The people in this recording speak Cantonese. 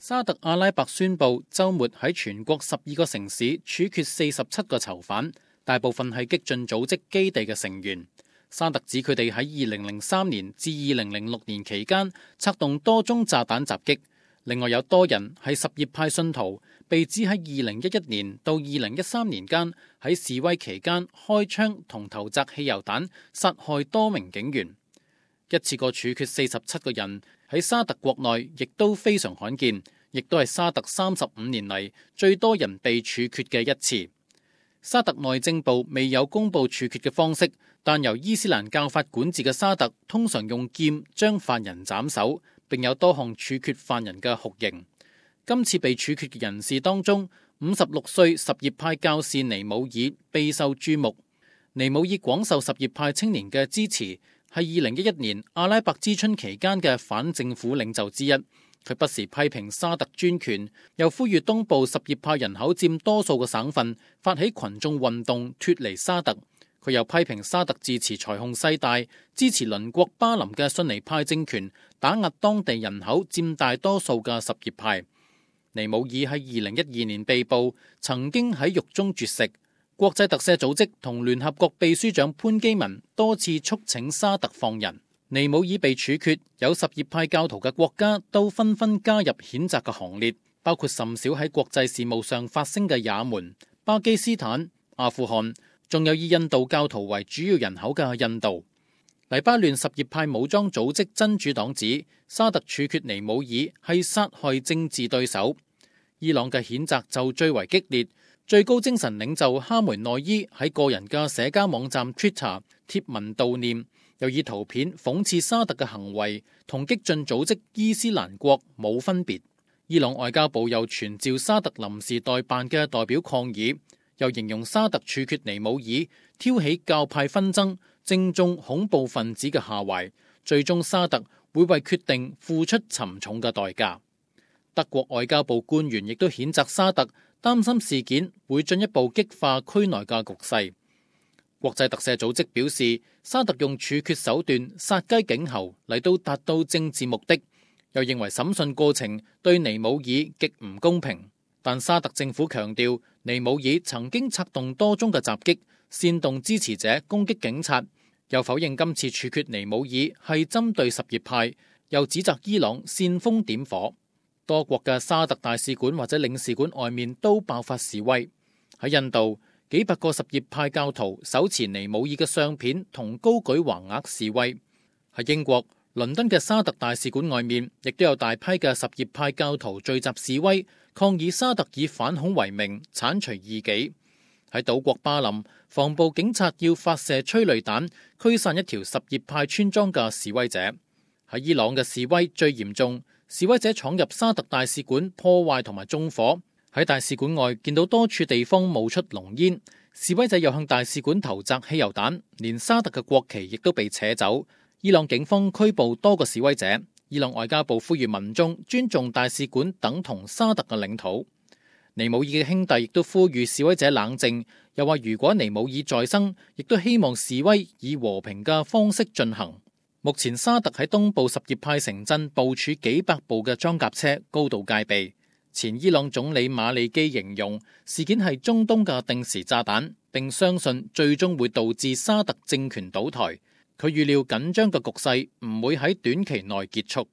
沙特阿拉伯宣布周末喺全國12個城市處決47個囚犯，大部分係激進組織基地嘅成員。沙特指佢哋喺2003年至2006年期間策動多宗炸彈襲擊，另外有多人係什葉派信徒，被指喺2011年到2013年間喺示威期間開槍同投擲汽油彈，殺害多名警員。一次過處決47個人喺沙特國內亦都非常罕見，亦都係沙特35年嚟最多人被處決嘅一次。沙特內政部未有公布處決嘅方式，但由伊斯蘭教法管治嘅沙特通常用劍將犯人斬首，並有多項處決犯人嘅酷刑。今次被處決嘅人士當中，56歲什葉派教士尼姆爾備受注目。尼姆爾廣受什葉派青年嘅支持，係2011年阿拉伯之春期間嘅反政府領袖之一。佢不時批評沙特專權，又呼籲東部什葉派人口佔多數嘅省份發起群眾運動脫離沙特。佢又批評沙特自持財雄勢大，支持鄰國巴林嘅遜尼派政權，打壓當地人口佔大多數嘅什葉派。尼姆爾喺2012年被捕，曾經喺獄中絕食。國際特赦組織同聯合國秘書長潘基文多次促請沙特放人。尼姆爾被處決，有什葉派教徒嘅國家都紛紛加入譴責嘅行列，包括甚少喺國際事務上發聲嘅也門、巴基斯坦、阿富汗，仲有以印度教徒為主要人口嘅印度。黎巴嫩什葉派武裝組織真主黨指沙特處決尼姆爾係殺害政治對手。伊朗嘅譴責就最為激烈，最高精神領袖哈梅內伊喺個人嘅社交網站 Twitter 貼文悼念，又以圖片諷刺沙特嘅行為同激進組織伊斯蘭國冇分別。伊朗外交部又傳召沙特臨時代辦嘅代表抗議，又形容沙特處決尼姆爾挑起教派紛爭，正中恐怖分子嘅下懷，最終沙特會為決定付出沉重嘅代價。德國外交部官員亦都譴責沙特，擔心事件會進一步激化區內嘅局勢。國際特赦組織表示，沙特用處決手段殺雞儆猴嚟到達到政治目的，又認為審訊過程對尼姆爾極唔公平。但沙特政府強調，尼姆爾曾經策動多宗嘅襲擊，煽動支持者攻擊警察，又否認今次處決尼姆爾係針對什葉派，又指責伊朗煽風點火。多國嘅沙特大使館或者領事館外面都爆發示威。喺印度，幾百個什葉派教徒手持尼姆爾嘅相片同高舉橫額示威。喺英國，倫敦嘅沙特大使館外面亦都有大批嘅什葉派教徒聚集示威，抗議沙特以反恐為名剷除異己。喺島國巴林，防暴警察要發射催淚彈驅散一條什葉派村莊嘅示威者。喺伊朗嘅示威最嚴重，示威者闖入沙特大使館破壞同埋縱火。喺大使館外見到多處地方冒出濃煙，示威者又向大使館投擲汽油彈，連沙特嘅國旗亦都被扯走。伊朗警方拘捕多個示威者。伊朗外交部呼籲民眾尊重大使館等同沙特嘅領土。尼姆爾嘅兄弟亦都呼籲示威者冷靜，又話如果尼姆爾再生，亦都希望示威以和平嘅方式進行。目前沙特喺東部什葉派城鎮部署幾百部嘅裝甲車，高度戒備。前伊朗總理馬利基形容事件係中東嘅定時炸彈，並相信最終會導致沙特政權倒台。佢預料緊張嘅局勢唔會喺短期內結束。